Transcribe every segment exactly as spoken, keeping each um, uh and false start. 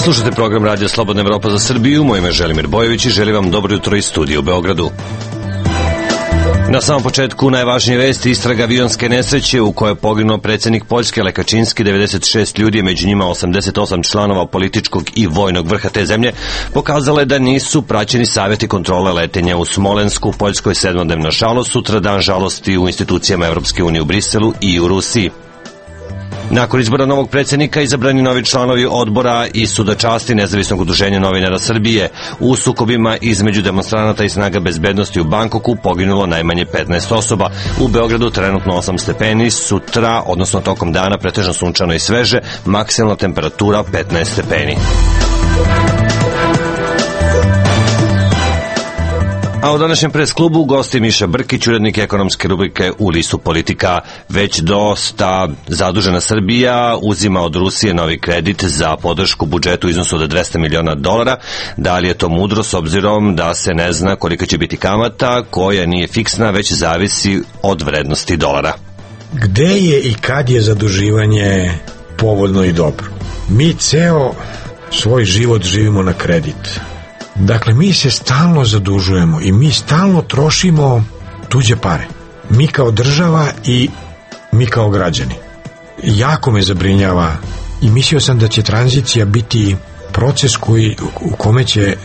Slušajte program Radija Slobodna Evropa za Srbiju. Moje ime je Želimir Bojović i želim vam dobro jutro iz studija u Beogradu. Na samom početku najvažnije vesti: istraga avionske nesreće u kojoj je poginuo predsjednik Poljske Lech Kaczynski, devedeset šest ljudi, među njima osamdeset osam članova političkog i vojnog vrha te zemlje, pokazala je da nisu praćeni savjeti kontrole letenja u Smolensku. Poljskoj sedmodnevna žalost, sutra dan žalosti u institucijama Evropske unije u Briselu i u Rusiji. Nakon izbora novog predsjednika izabrani novi članovi odbora i suda časti Nezavisnog udruženja novinara Srbije. U sukobima između demonstranata i snaga bezbednosti u Bangkoku poginulo najmanje petnaest osoba. U Beogradu trenutno osam stepeni, sutra, odnosno tokom dana, pretežno sunčano i sveže, maksimalna temperatura petnaest stepeni. A u današnjem pres klubu gosti Miša Brkić, urednik ekonomske rubrike u listu Politika. Već dosta zadužena Srbija uzima od Rusije novi kredit za podršku budžetu u iznosu od dvesta miliona dolara. Da li je to mudro s obzirom da se ne zna kolika će biti kamata, koja nije fiksna, već zavisi od vrednosti dolara? Gde je i kad je zaduživanje povoljno i dobro? Mi ceo svoj život živimo na kredit. Dakle, mi se stalno zadužujemo i mi stalno trošimo tuđe pare. Mi kao država i mi kao građani. Jako me zabrinjava i mislio sam da će tranzicija biti proces koji, u kome će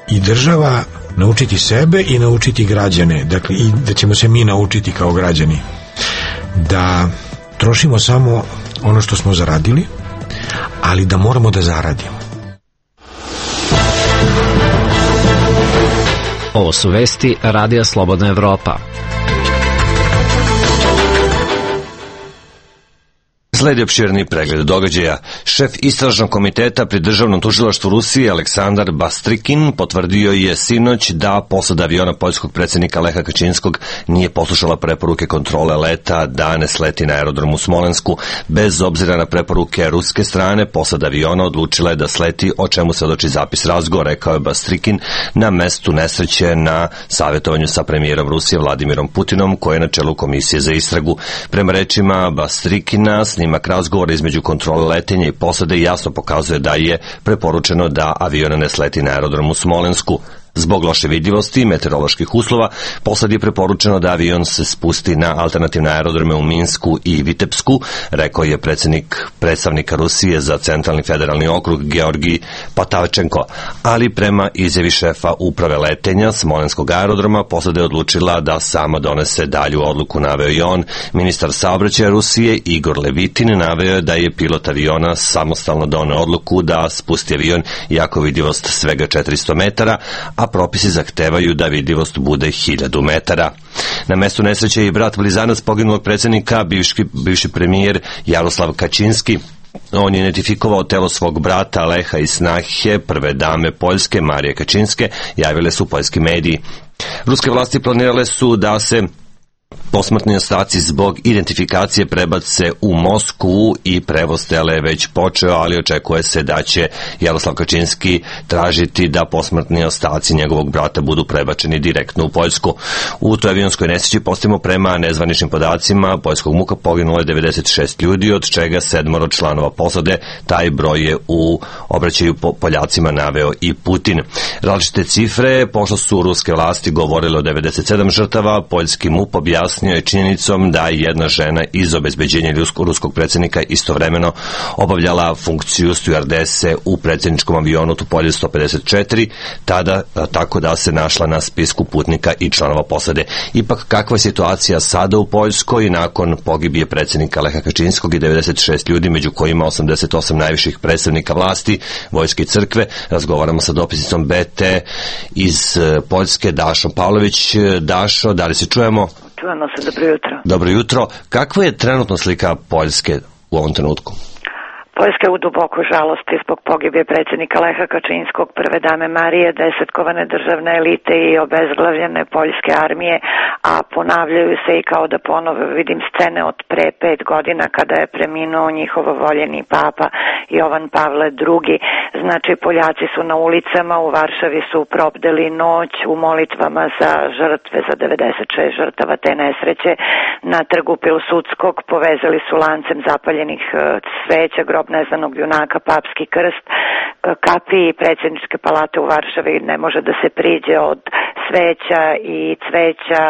i država naučiti sebe i naučiti građane. Dakle, i da ćemo se mi naučiti kao građani da trošimo samo ono što smo zaradili, ali da moramo da zaradimo. Ovo su vesti Radija Slobodna Evropa. Sledi opširni pregled događaja. Šef istražnog komiteta pri Državnom tužilaštvu Rusije Aleksandar Bastrikin potvrdio je sinoć da posada aviona poljskog predsjednika Leha Kaczynskog nije poslušala preporuke kontrole leta da ne sleti na aerodromu u Smolensku. Bez obzira na preporuke ruske strane, posada aviona odlučila je da sleti, o čemu se doči zapis razgovora, rekao je Bastrikin na mestu nesreće na savjetovanju sa premijerom Rusije Vladimirom Putinom, koji je na čelu komisije za istragu. Prema rečima Bastrikina, snimak razgovora između kontrole letenja i posade jasno pokazuje da je preporučeno da avion ne sleti na aerodromu u Smolensku. Zbog loše vidljivosti i meteoroloških uslova, posadi je preporučeno da avion se spusti na alternativne aerodrome u Minsku i Vitebsku, rekao je predsjednik predstavnika Rusije za centralni federalni okrug Georgij Patavčenko. Ali prema izjavi šefa uprave letenja Smolenskog aerodroma, posada je odlučila da sama donese dalju odluku, naveo i on. Ministar saobraćaja Rusije Igor Levitin naveo je da je pilot aviona samostalno doneo odluku da spusti avion iako vidljivost svega četiristo metara, a propisi zahtevaju da vidljivost bude hiljadu metara. Na mestu nesreće je i brat blizanac poginulog predsjednika, bivši, bivši premijer Jaroslav Kaczynski. On je identifikovao telo svog brata Leha i snahe prve dame Poljske Marije Kaczynske, javile su poljski mediji. Ruske vlasti planirale su da se posmrtni ostaci zbog identifikacije prebace u Moskvu i prevoz tela je već počeo, ali očekuje se da će Jaroslav Kaczynski tražiti da posmrtni ostaci njegovog brata budu prebačeni direktno u Poljsku. U toj avionskoj nesreći, postavimo prema nezvaničnim podacima poljskog MUK-a, poginulo je devedeset šest ljudi, od čega sedmoro članova posade. Taj broj je u obraćaju po Poljacima naveo i Putin. Različite cifre, pošto su ruske vlasti govorile o devedeset sedam žrtava, poljski MUP objasnio je činjenicom da jedna žena iz obezbeđenja ruskog predsjednika istovremeno obavljala funkciju stjuardese u predsjedničkom avionu Tupolev sto pedeset četiri, tada tako da se našla na spisku putnika i članova posade. Ipak, kakva je situacija sada u Poljskoj nakon pogibije predsjednika Leha Kaczynskog i devedeset šest ljudi, među kojima osamdeset osam najviših predstavnika vlasti, vojske i crkve? Razgovaramo sa dopisnicom B T iz Poljske, Dašom Pavlović. Dašo, da li se čujemo? Čujemo se, dobro jutro. Dobro jutro. Kakva je trenutno slika Poljske u ovom trenutku? Poljska je u dubokoj žalosti zbog pogibije predsjednika Leha Kačinskog, prve dame Marije, desetkovane državne elite i obezglavljene poljske armije, a ponavljaju se i kao da ponovo vidim scene od pre pet godina kada je preminuo njihov voljeni papa Jovan Pavle drugi. Znači, Poljaci su na ulicama, u Varšavi su probdeli noć u molitvama za žrtve, za devedeset šest žrtava te nesreće. Na trgu Pilsudskog povezali su lancem zapaljenih sveća grob neznanog junaka Papski krst. Kapiji predsjedničke palate u Varšavi ne može da se priđe od sveća i cveća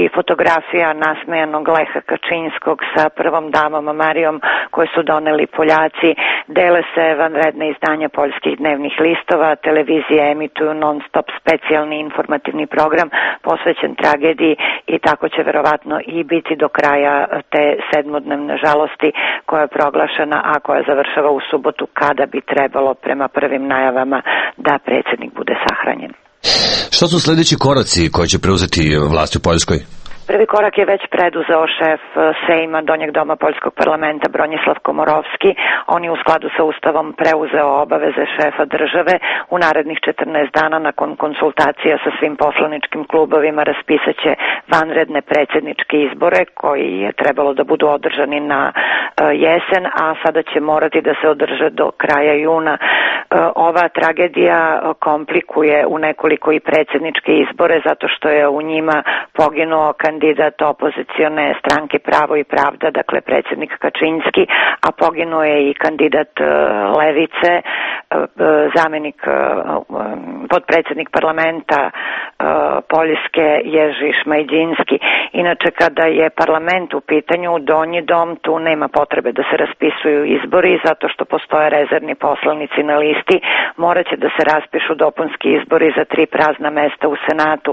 i fotografija nasmejanog Leha Kačinskog sa prvom damom Marijom koje su doneli Poljaci. Dele se vanredne izdanja poljskih dnevnih listova, televizije emituju non stop specijalni informativni program posvećen tragediji i tako će verovatno i biti do kraja te sedmodnevne žalosti koja je proglašena, a koja završava u subotu kada bi trebalo prema prvim najavama da predsjednik bude sahranjen. Što su sljedeći koraci koje će preuzeti vlast u Poljskoj? Prvi korak je već preduzeo šef Sejma Donjeg doma Poljskog parlamenta Bronislav Komorovski. On je u skladu sa Ustavom preuzeo obaveze šefa države. U narednih četrnaest dana nakon konsultacija sa svim poslaničkim klubovima raspisat će vanredne predsjedničke izbore koji je trebalo da budu održani na jesen, a sada će morati da se održe do kraja juna. Ova tragedija komplikuje u nekoliko i predsjedničke izbore zato što je u njima poginuo kandidat opozicione stranke Pravo i pravda, dakle predsjednik Kačinski, a poginuo je i kandidat Levice, zamjenik, podpredsjednik parlamenta Poljske Jerzy Šmajdinski. Inače, kada je parlament u pitanju, Donji dom, tu nema potrebe da se raspisuju izbori zato što postoje rezervni poslanici na listi. Morat će da se raspišu dopunski izbori za tri prazna mesta u Senatu.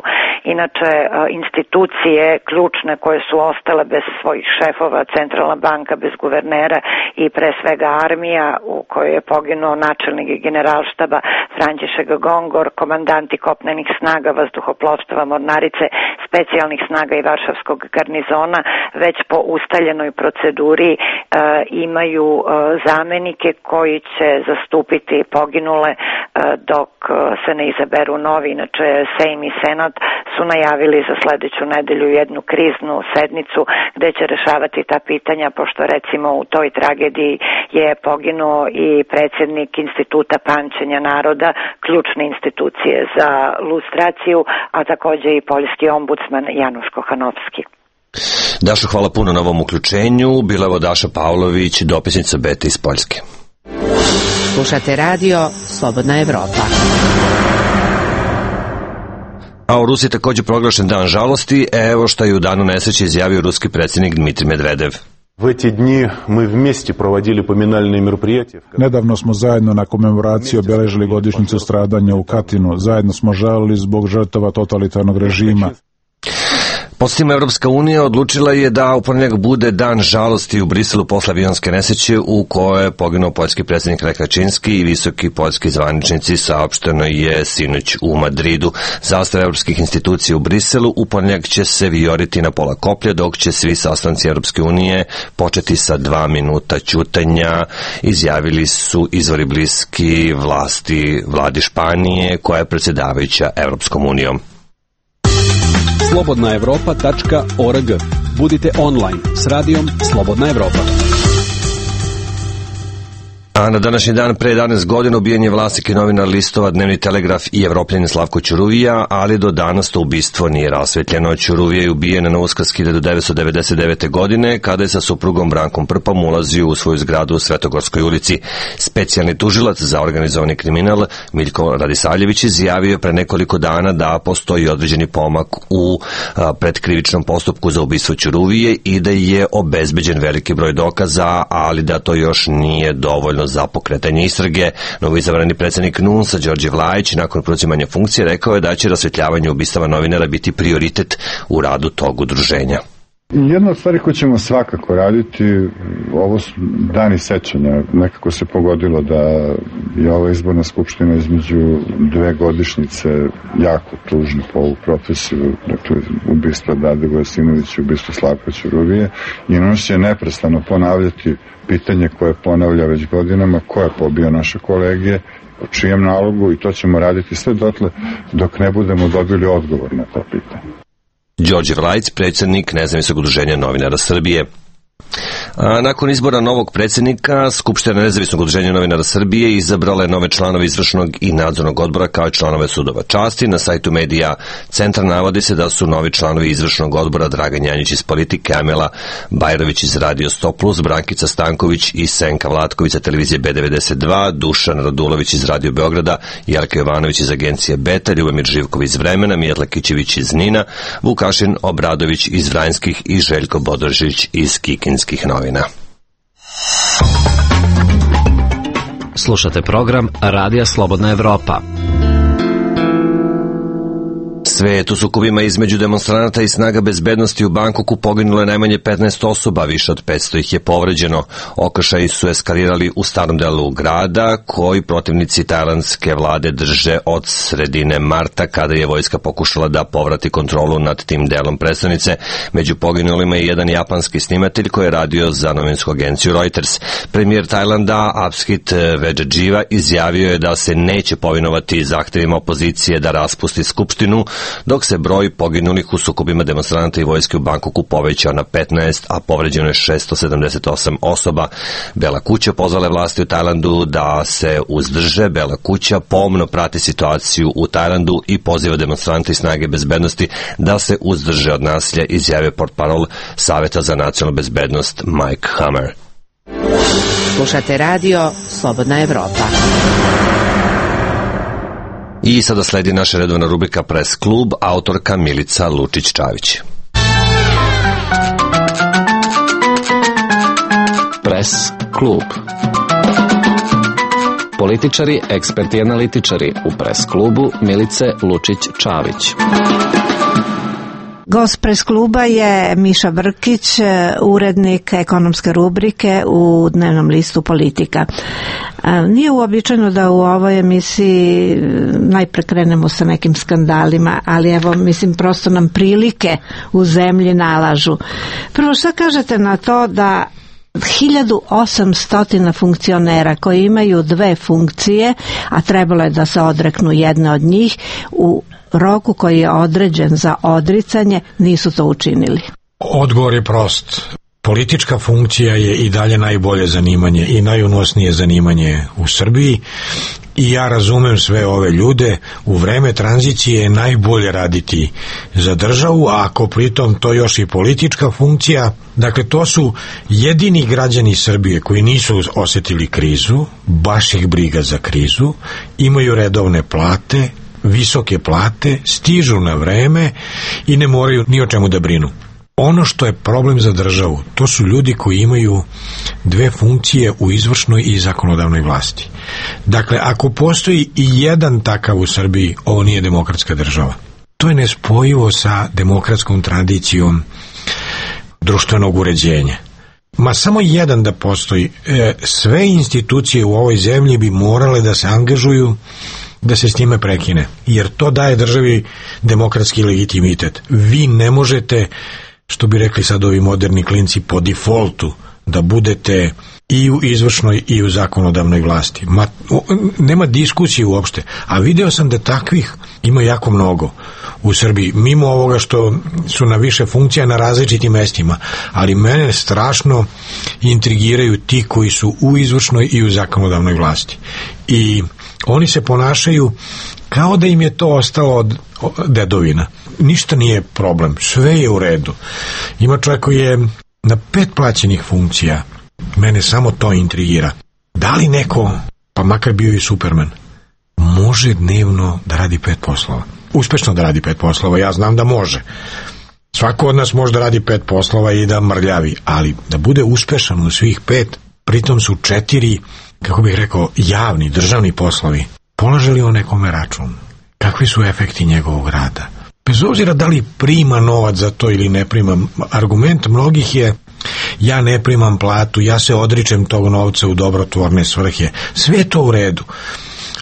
Inače, institucije ključne koje su ostale bez svojih šefova, Centralna banka bez guvernera i pre svega armija u kojoj je poginuo načelnik generalštaba František Gongor, komandanti kopnenih snaga, vazduhoplovstva, mornarice, specijalnih snaga i varšavskog garnizona, već po ustaljenoj proceduri e, imaju e, zamenike koji će zastupiti poginule e, dok se ne izaberu novi. Inače, Sejm i Senat su najavili za sledeću nedelju jednu kriznu sednicu gde će rešavati ta pitanja, pošto recimo u toj tragediji je poginuo i predsjednik Instituta pamćenja naroda, ključne institucije za lustraciju, a takođe i poljski ombudsman Januš Kohanovski. Dašo, hvala puno na ovom uključenju. Bila je Daša Pavlović, dopisnica Beta iz Poljske. Slušate radio Slobodna Evropa. A u Rusiji također proglašen dan žalosti. Evo što je u danu nesreće izjavio ruski predsjednik Dmitrij Medvedev. Nedavno smo zajedno na komemoraciji obeležili godišnjicu stradanja u Katinu. Zajedno smo žalili zbog žrtava totalitarnog režima. Podsjetimo, Evropska unija odlučila je da u ponedjeljak bude dan žalosti u Briselu posle avionske nesreće u kojoj je poginuo poljski predsjednik Lech Kačinski i visoki poljski zvaničnici, saopšteno je sinoć u Madridu. Zastava evropskih institucija u Briselu u ponedjeljak će se vijoriti na pola koplja, dok će svi sastanci Evropske unije početi sa dva minuta ćutanja, izjavili su izvori bliski vlasti vladi Španije, koja je predsjedavajuća Evropskom unijom. slobodna evropa tačka org. Budite online s radijom Slobodna Evropa. A na današnji dan pre jedanaest godina ubijen je vlasnik i novinar listova Dnevni telegraf i Evropljanin Slavko Ćuruvija, ali do danas to ubistvo nije rasvetljeno. Ćuruvija je ubijen na Uskrs hiljadu devetsto devedeset devete. godine kada je sa suprugom Brankom Prpom ulazio u svoju zgradu u Svetogorskoj ulici. Specijalni tužilac za organizovani kriminal Miljko Radisaljević izjavio pre nekoliko dana da postoji određeni pomak u predkrivičnom postupku za ubistvo Ćuruvije i da je obezbeđen veliki broj dokaza, ali da to još nije dovoljno za pokretanje istrage. Novoizabrani predsjednik N U N S-a Đorđe Vlajić nakon preuzimanja funkcije rekao je da će rasvetljavanje ubistava novinara biti prioritet u radu tog udruženja. Jedna od stvari koju ćemo svakako raditi, ovo su dani sećanja, nekako se pogodilo da je ova izborna skupština između dve godišnjice jako tužna po ovu profesiju, dakle ubistva Dade Vojasinovića, ubistva Slavka Ćuruvije, i on će neprestano ponavljati pitanje koje ponavlja već godinama: ko je pobio naše kolege, po čijem nalogu, i to ćemo raditi sve dotle dok ne budemo dobili odgovor na to pitanje. Đorđe Vlajc, predsjednik Nezavisnog udruženja novinara Srbije. A nakon izbora novog predsjednika, Skupština Nezavisnog udruženja novinara Srbije izabrala je nove članove izvršnog i nadzornog odbora kao i članove sudova časti. Na sajtu Medija Centar navodi se da su novi članovi izvršnog odbora Dragan Janjić iz Politike, Amela Bajrović iz Radio sto plus, Brankica Stanković i Senka Vlatković sa televizije B devedeset dva, Dušan Radulović iz Radio Beograda, Jelka Jovanović iz agencije Beta, Ljubomir Živkov iz Vremena, Mijetla Kićević iz Nina, Vukašin Obradović iz Vranjskih i Željko Bodrožić iz Kikinskih novina. Slušate program Radija Slobodna Evropa. Svet u sukobima između demonstranata i snaga bezbednosti u Bangkoku poginulo je najmanje petnaest osoba, više od petsto ih je povređeno. Okršaji su eskalirali u starom delu grada, koji protivnici tajlandske vlade drže od sredine marta, kada je vojska pokušala da povrati kontrolu nad tim delom prestonice. Među poginulima je jedan japanski snimatelj koji je radio za novinsku agenciju Reuters. Premijer Tajlanda Abhishek Vejajiva izjavio je da se neće povinovati zahtevima opozicije da raspusti skupštinu, dok se broj poginulih u sukobima demonstranata i vojske u Bangkoku povećao na petnaest, a povređeno je šesto sedamdeset osam osoba. Bela kuća pozvala vlasti u Tajlandu da se uzdrže. Bela kuća pomno prati situaciju u Tajlandu i poziva demonstrante i snage bezbednosti da se uzdrže od nasilja, izjavio portparol Saveta za nacionalnu bezbednost Mike Hammer. Slušate radio Slobodna Evropa. I sada sledi naša redovna rubrika Press klub, autorka Milica Lučić-Čavić. Press klub. Političari, eksperti i analitičari u Press klubu Milice Lučić-Čavić. Gost Press kluba je Miša Brkić, urednik ekonomske rubrike u dnevnom listu Politika. Nije uobičajeno da u ovoj emisiji najpre krenemo sa nekim skandalima, ali evo, mislim, prosto nam prilike u zemlji nalažu. Prvo, šta kažete na to da hiljadu osamsto funkcionera koji imaju dve funkcije, a trebalo je da se odreknu jedne od njih, u roku koji je određen za odricanje, nisu to učinili? Odgovor je prost. Politička funkcija je i dalje najbolje zanimanje i najunosnije zanimanje u Srbiji, i ja razumem sve ove ljude. U vreme tranzicije je najbolje raditi za državu, a ako pritom to još i politička funkcija, dakle to su jedini građani Srbije koji nisu osetili krizu, baš ih briga za krizu, imaju redovne plate, visoke plate, stižu na vreme i ne moraju ni o čemu da brinu. Ono što je problem za državu, to su ljudi koji imaju dve funkcije u izvršnoj i zakonodavnoj vlasti. Dakle, ako postoji i jedan takav u Srbiji, ovo nije demokratska država. To je nespojivo sa demokratskom tradicijom društvenog uređenja. Ma samo jedan da postoji, sve institucije u ovoj zemlji bi morale da se angažuju da se s njime prekine, jer to daje državi demokratski legitimitet. Vi ne možete, što bi rekli sad ovi moderni klinci, po defaultu da budete i u izvršnoj i u zakonodavnoj vlasti. Ma, nema diskusije uopšte, a video sam da takvih ima jako mnogo u Srbiji, mimo ovoga što su na više funkcija na različitim mestima, ali mene strašno intrigiraju ti koji su u izvršnoj i u zakonodavnoj vlasti. I oni se ponašaju kao da im je to ostalo od dedovina. Ništa nije problem, sve je u redu. Ima čovjek koji je na pet plaćenih funkcija. Mene samo to intrigira. Da li neko, pa makar bio i Superman, može dnevno da radi pet poslova? Uspešno da radi pet poslova, ja znam da može. Svako od nas može da radi pet poslova i da mrljavi, ali da bude uspešan u svih pet, pritom su četiri, kako bih rekao, javni, državni poslovi. Polaže li on nekome račun? Kakvi su efekti njegovog rada? Bez obzira da li prima novac za to ili ne prima, argument mnogih je ja ne primam platu, ja se odričem tog novca u dobrotvorne svrhe, sve je to u redu.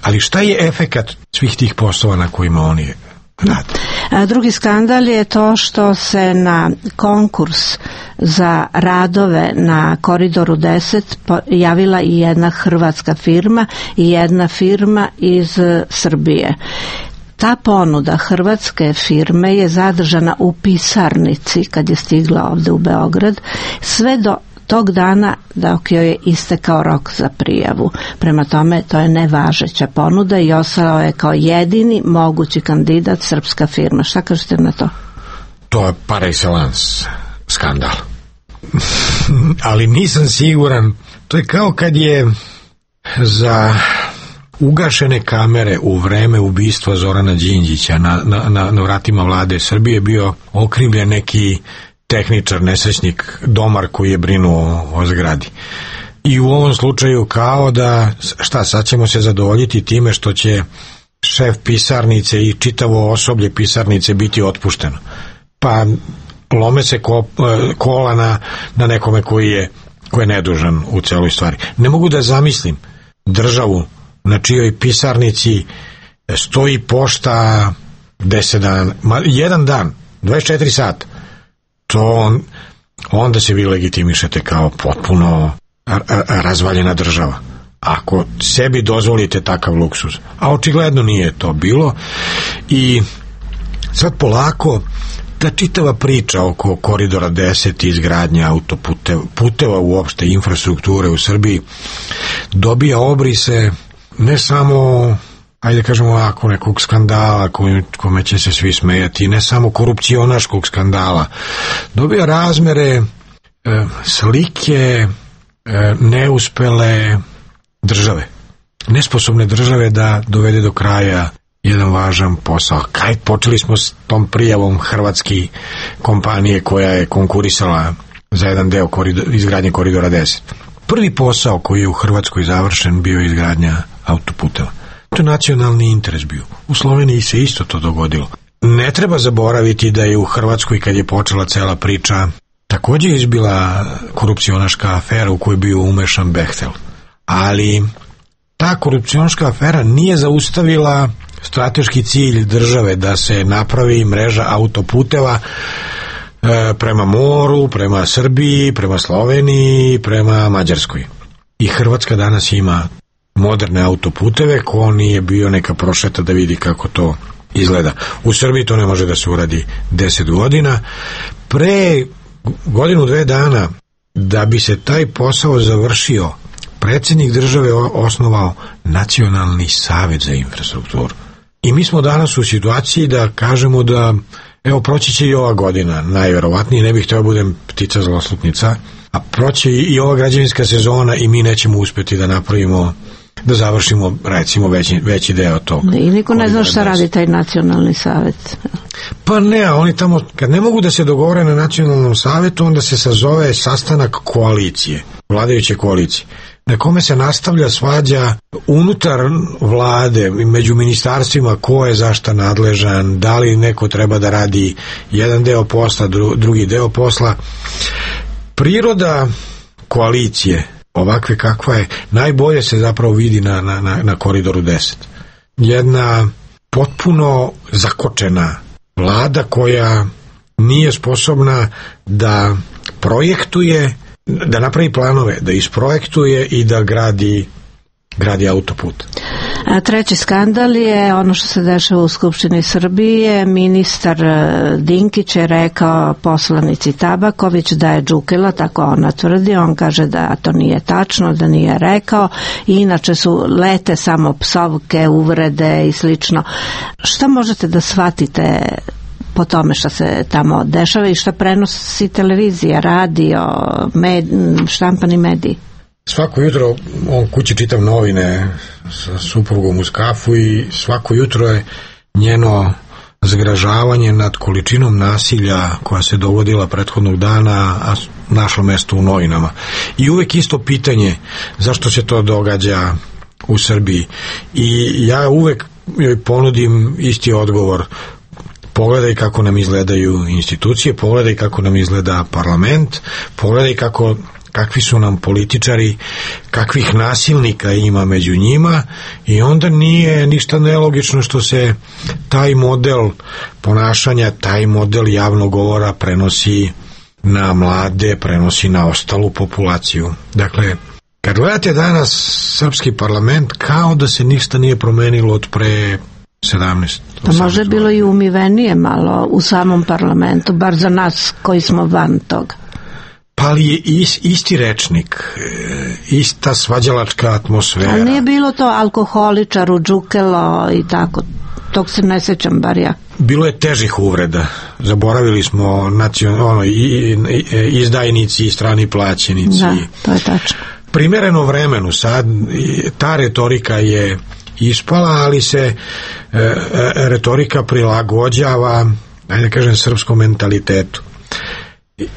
Ali šta je efekat svih tih poslova na kojima oni rade? A drugi skandal je to što se na konkurs za radove na Koridoru deset javila i jedna hrvatska firma i jedna firma iz Srbije. Ta ponuda hrvatske firme je zadržana u pisarnici kad je stigla ovde u Beograd, sve do tog dana dok joj je istekao rok za prijavu. Prema tome, to je nevažeća ponuda i ostao je kao jedini mogući kandidat srpska firma. Šta kažete na to? To je par excellence skandal. Ali nisam siguran. To je kao kad je za ugašene kamere u vreme ubistva Zorana Đinđića na, na, na, na vratima vlade Srbije bio okrivljen neki tehničar, nesrećnik, domar koji je brinuo o zgradi. I u ovom slučaju kao da, šta, sad ćemo se zadovoljiti time što će šef pisarnice i čitavo osoblje pisarnice biti otpušteno. Pa lome se ko, kola na, na nekome koji je, koji je nedužan u celoj stvari. Ne mogu da zamislim državu na čijoj pisarnici stoji pošta deset dana, ma, jedan dan, dvadeset četiri sata. To on, onda se vi legitimišete kao potpuno razvaljena država. Ako sebi dozvolite takav luksuz. A očigledno nije to bilo. I sad polako ta čitava priča oko Koridora deset i izgradnje autoputeva, puteva uopšte, infrastrukture u Srbiji dobija obrise ne samo, ajde kažemo ovako, nekog skandala kome, kome će se svi smejati, ne samo korupcionaškog skandala, dobija razmere e, slike e, neuspele države, nesposobne države da dovede do kraja jedan važan posao. Kaj, počeli smo s tom prijavom hrvatske kompanije koja je konkurisala za jedan deo koridor, izgradnje Koridora deset. Prvi posao koji je u Hrvatskoj završen bio izgradnja autoputeva. To je nacionalni interes bio. U Sloveniji se isto to dogodilo. Ne treba zaboraviti da je u Hrvatskoj, kad je počela cela priča, također izbila korupcionaška afera u kojoj je bio umešan Behtel. Ali ta korupcionaška afera nije zaustavila strateški cilj države da se napravi mreža autoputeva e, prema moru, prema Srbiji, prema Sloveniji, prema Mađarskoj. I Hrvatska danas ima moderne autoputeve, ko nije bio neka prošeta da vidi kako to izgleda. U Srbiji to ne može da se uradi deset godina. Pre godinu, dve dana, da bi se taj posao završio, predsjednik države osnovao Nacionalni savet za infrastrukturu. I mi smo danas u situaciji da kažemo da, evo, proći će i ova godina, najverovatnije, ne bih htio budem ptica zloslutnica, a proći i ova građevinska sezona i mi nećemo uspjeti da napravimo, da završimo, recimo, veći, veći deo tog. I niko ne zna šta radi taj Nacionalni savet. Pa ne, oni tamo, kad ne mogu da se dogovore na Nacionalnom savetu, onda se sazove sastanak koalicije, vladajuće koalicije, na kome se nastavlja svađa unutar vlade, među ministarstvima, ko je za šta nadležan, da li neko treba da radi jedan deo posla, drugi deo posla. Priroda koalicije, ovakve kakva je, najbolje se zapravo vidi na, na, na, na Koridoru deset. Jedna potpuno zakočena vlada koja nije sposobna da projektuje, da napravi planove, da isprojektuje i da gradi, gradi autoput. A treći skandal je ono što se dešava u Skupštini Srbije. Ministar Dinkić je rekao poslanici Tabaković da je džukila, tako ona tvrdi, on kaže da to nije tačno, da nije rekao, i inače su lete samo psovke, uvrede i slično. Šta možete da shvatite po tome što se tamo dešava i što prenosi televizija, radio, med, štampani mediji? Svako jutro on kući čitav novine sa suprugom uz kafu i svako jutro je njeno zgražavanje nad količinom nasilja koja se dogodila prethodnog dana, a našlo mesto u novinama. I uvek isto pitanje zašto se to događa u Srbiji. I ja uvek joj ponudim isti odgovor. Pogledaj kako nam izgledaju institucije, pogledaj kako nam izgleda parlament, pogledaj kako, kakvi su nam političari, kakvih nasilnika ima među njima, i onda nije ništa nelogično što se taj model ponašanja, taj model javnog govora prenosi na mlade, prenosi na ostalu populaciju. Dakle, kad gledate danas srpski parlament, kao da se ništa nije promenilo od pre sedamnaest. Da može bilo i umivenije malo u samom parlamentu, bar za nas koji smo van toga. Pa ali je is, isti rečnik, ista svađalačka atmosfera. Ali nije bilo to alkoholičaru, džukelo i tako, tog se ne sećam bar ja. Bilo je težih uvreda. Zaboravili smo nacion, ono, i, i, izdajnici i strani plaćenici. Da, to je tačno. Primereno vremenu sad, ta retorika je ispala, ali se e, e, retorika prilagođava, ajde da kažem, srpskom mentalitetu.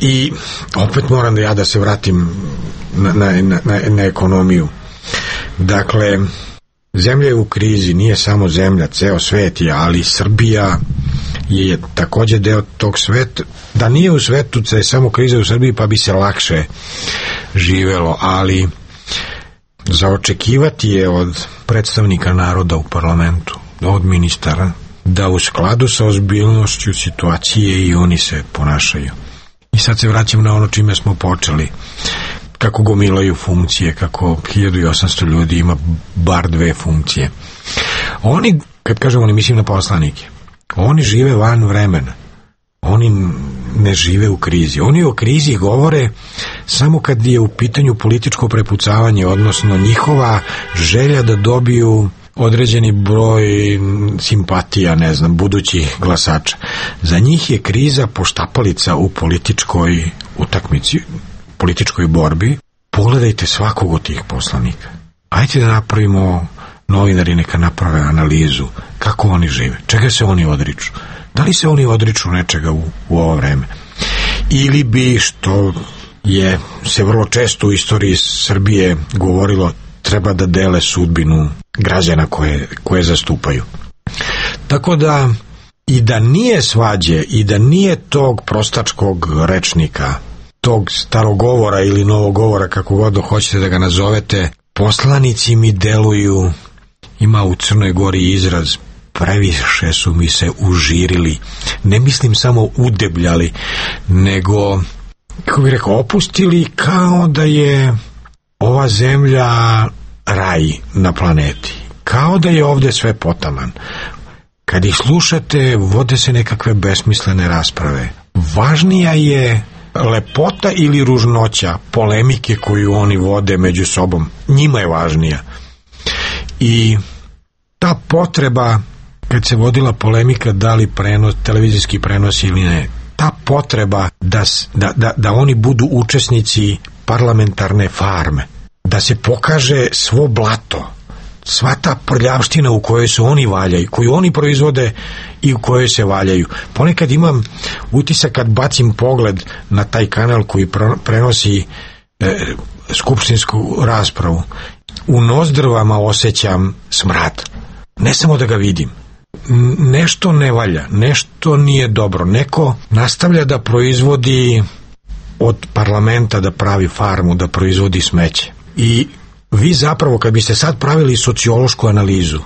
I opet moram da ja da se vratim na, na, na, na ekonomiju. Dakle, zemlja je u krizi, nije samo zemlja, ceo svet je, ali Srbija je takođe deo tog sveta. Da nije u svetu, da je samo kriza u Srbiji, pa bi se lakše živelo, ali za očekivati je od predstavnika naroda u parlamentu, od ministara, da u skladu sa ozbiljnošću situacije i oni se ponašaju. I sad se vraćam na ono čime smo počeli. Kako gomilaju funkcije, kako hiljadu i osamsto ljudi ima bar dve funkcije. Oni, kad kažem oni, mislim na poslanike, oni žive van vremena. Oni ne žive u krizi. Oni o krizi govore samo kad je u pitanju političko prepucavanje, odnosno njihova želja da dobiju određeni broj simpatija, ne znam, budućih glasača. Za njih je kriza poštapalica u političkoj utakmici, političkoj borbi. Pogledajte svakog od tih poslanika. Ajde da napravimo, novinari neka naprave analizu kako oni žive, čega se oni odriču. Da li se oni odriču nečega u, u ovo vreme? Ili bi, što je se vrlo često u istoriji Srbije govorilo, treba da dele sudbinu građana koje, koje zastupaju. Tako da i da nije svađe i da nije tog prostačkog rečnika, tog starogovora ili novogovora, kako god hoćete da ga nazovete, poslanici mi deluju, ima u Crnoj Gori izraz, previše su mi se užirili. Ne mislim samo udebljali, nego, kako bih rekao, opustili kao da je ova zemlja raj na planeti. Kao da je ovde sve potaman. Kad ih slušate, vode se nekakve besmislene rasprave. Važnija je lepota ili ružnoća polemike koju oni vode među sobom. Njima je važnija. I ta potreba, kad se vodila polemika da li prenos, televizijski prenos ili ne, ta potreba da, da, da, da oni budu učesnici parlamentarne farme, da se pokaže svo blato, sva ta prljavština u kojoj se oni valjaju, koju oni proizvode i u kojoj se valjaju. Ponekad imam utisak kad bacim pogled na taj kanal koji prenosi e, skupštinsku raspravu, u nozdrvama osjećam smrad. Ne samo da ga vidim. Nešto ne valja, nešto nije dobro. Neko nastavlja da proizvodi od parlamenta, da pravi farmu, da proizvodi smeće. I vi zapravo, kad biste sad pravili sociološku analizu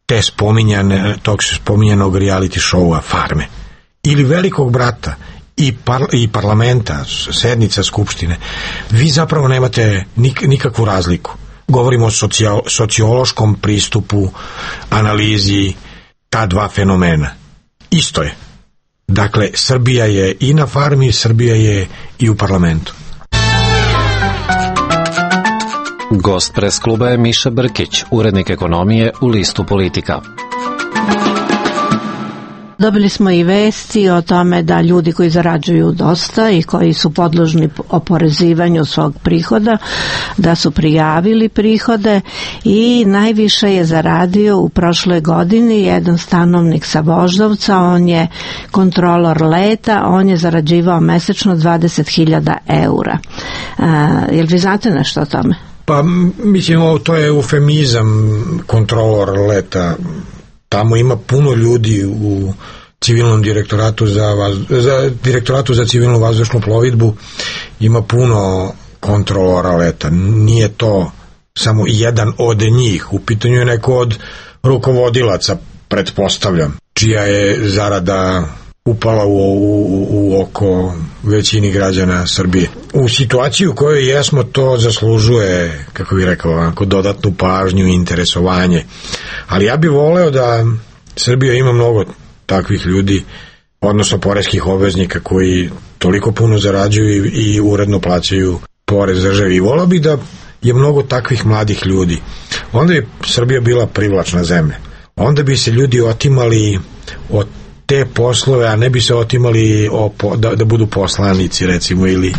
te spominjane, tog spominjanog reality showa farme ili Velikog brata i, par, i parlamenta, sednica skupštine, vi zapravo nemate nik, nikakvu razliku. Govorimo o socijal, sociološkom pristupu, analizi ta dva fenomena. Isto je. Dakle, Srbija je i na farmi, Srbija je i u parlamentu. Gost pres kluba je Miša Brkić, urednik ekonomije u listu Politika. Dobili smo i vesti o tome da ljudi koji zarađuju dosta i koji su podložni oporezivanju svog prihoda, da su prijavili prihode i najviše je zaradio u prošloj godini jedan stanovnik sa Voždovca, on je kontrolor leta, on je zarađivao mesečno dvadeset hiljada eura. A, jel vi znate nešto o tome? Pa mislim, ovo to je eufemizam, kontrolor leta. Tamo ima puno ljudi u civilnom direktoratu za, vaz, za direktoratu za civilnu vazdušnu plovidbu ima puno kontrolora leta. Nije to samo jedan od njih. U pitanju je neko od rukovodilaca, pretpostavljam, čija je zarada upala u, u, u oko većini građana Srbije. U situaciji u kojoj jesmo, to zaslužuje, kako bih rekao, onako, dodatnu pažnju i interesovanje. Ali ja bih voleo da Srbija ima mnogo takvih ljudi, odnosno poreskih obveznika koji toliko puno zarađuju i, i uredno plaćaju porez državi. I voleo bih da je mnogo takvih mladih ljudi. Onda je Srbija bila privlačna zemlja. Onda bi se ljudi otimali od te poslove, a ne bi se otimali o, da, da budu poslanici, recimo, ili,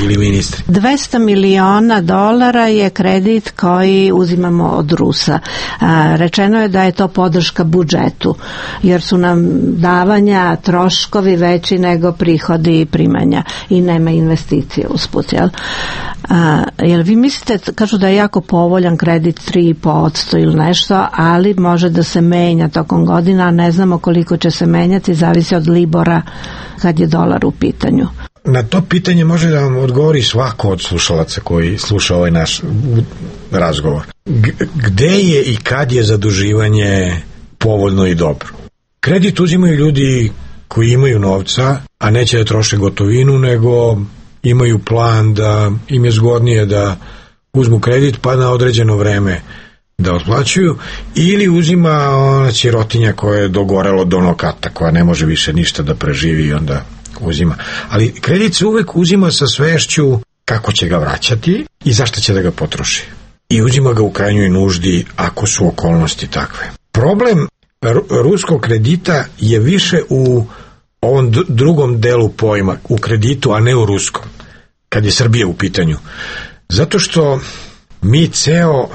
ili ministri. dvesta miliona dolara je kredit koji uzimamo od Rusa. A, rečeno je da je to podrška budžetu, jer su nam davanja, troškovi veći nego prihodi i primanja i nema investicije usput, jel? A, jel vi mislite, kažu da je jako povoljan kredit tri i po posto ili nešto, ali može da se menja tokom godina, a ne znamo koliko će se menjati, zavisi od libora kad je dolar u pitanju. Na to pitanje može da vam odgovori svako od slušalaca koji sluša ovaj naš razgovor. G- gde je i kad je zaduživanje povoljno i dobro? Kredit uzimaju ljudi koji imaju novca, a neće da troše gotovinu, nego imaju plan da im je zgodnije da uzmu kredit pa na određeno vreme da otplaćuju, ili uzima ona sirotinja koja je dogorelo do nokata, koja ne može više ništa da preživi i onda uzima. Ali kredit se uvek uzima sa svešću kako će ga vraćati i zašto će da ga potroši. I uzima ga u krajnjoj nuždi ako su okolnosti takve. Problem ruskog kredita je više u ovom drugom delu pojma, u kreditu, a ne u ruskom, kad je Srbija u pitanju. Zato što mi ceo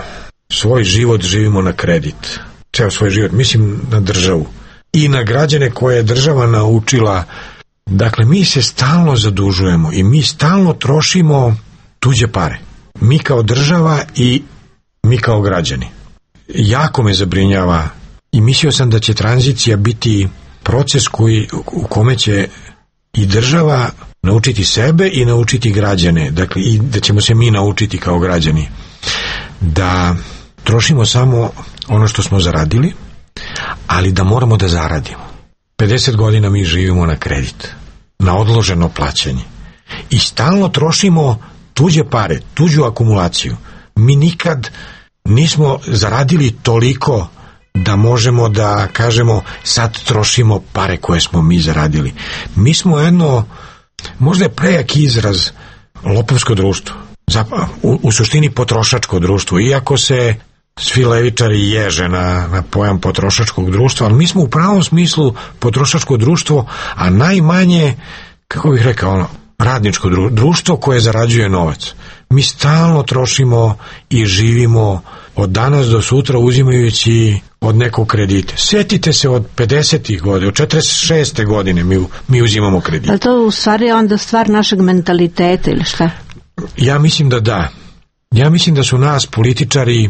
svoj život živimo na kredit. Ceo svoj život, mislim na državu. I na građane koje je država naučila. Dakle, mi se stalno zadužujemo i mi stalno trošimo tuđe pare. Mi kao država i mi kao građani. Jako me zabrinjava i mislio sam da će tranzicija biti proces koji, u kome će i država naučiti sebe i naučiti građane. Dakle, i da ćemo se mi naučiti kao građani da trošimo samo ono što smo zaradili, ali da moramo da zaradimo. pedeset godina mi živimo na kredit, na odloženo plaćanje i stalno trošimo tuđe pare, tuđu akumulaciju. Mi nikad nismo zaradili toliko da možemo da kažemo sad trošimo pare koje smo mi zaradili. Mi smo jedno, možda je prejak izraz, lopovsko društvo. U, u suštini potrošačko društvo, iako se svi levičari ježe na, na pojam potrošačkog društva, ali mi smo u pravom smislu potrošačko društvo, a najmanje, kako bih rekao, ono, radničko društvo koje zarađuje novac. Mi stalno trošimo i živimo od danas do sutra uzimajući od nekog kredita. Sjetite se od pedesetih godina, od četrdeset šeste godine mi, mi uzimamo kredit. Ali to u stvari je onda stvar našeg mentaliteta ili šta? Ja mislim da da. Ja mislim da su nas političari,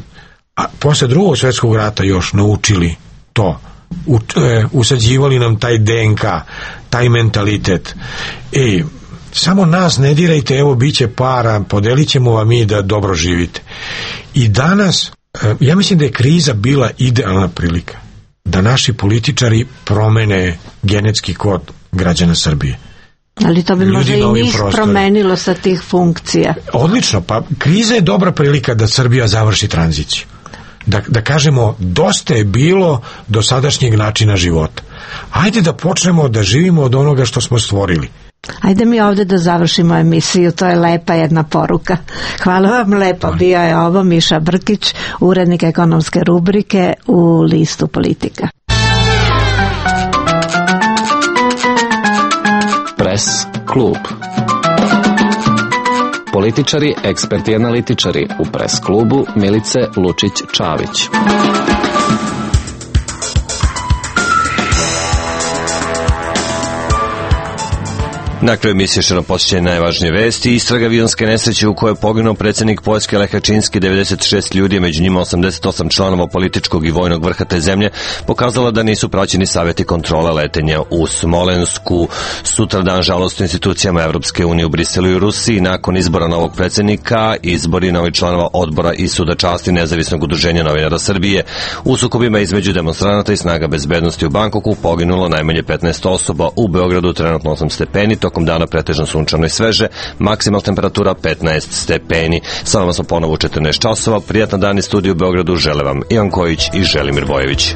a posle drugog svjetskog rata još naučili to. U, e, usađivali nam taj D N K, taj mentalitet. Ej, samo nas ne dirajte, evo bit će para, podelit ćemo vam mi da dobro živite. I danas, e, ja mislim da je kriza bila idealna prilika da naši političari promene genetski kod građana Srbije. Ali to bi možda i njih promenilo sa tih funkcija. Odlično, pa kriza je dobra prilika da Srbija završi tranziciju. Da, da kažemo, dosta je bilo do sadašnjeg načina života. Ajde da počnemo da živimo od onoga što smo stvorili. Ajde mi ovde da završimo emisiju, to je lepa jedna poruka. Hvala vam lepo, bio je ovo Miša Brkić, urednik ekonomske rubrike u listu Politika. Pres klub. Političari, eksperti i analitičari u Pres klubu Milice Lučić-Čavić. Na kraju emisije širno posjećanje najvažnije vesti. Istraga avionske nesreće u kojoj je poginuo predsjednik Poljske Lech Kaczynski, devedeset šest ljudi, među njima osamdeset osam članova političkog i vojnog vrha te zemlje, pokazala da nisu praćeni savjeti kontrole letenja u Smolensku. Sutradan žalost u institucijama Evropske unije u Briselu i Rusiji nakon izbora novog predsjednika, izbori novih članova odbora i suda časti Nezavisnog udruženja novinara Srbije. U sukobima između demonstranata i snaga bezbednosti u Bankoku poginulo najmanje petnaest osoba. U Beogradu trenutno osam stepeni, tokom dana pretežno sunčano i sveže, maksimalna temperatura petnaest stepeni. Sa vama smo ponovo u četrnaest časova. Prijatan dan iz studiju u Beogradu žele vam Ivan Kojić i Želimir Bojević.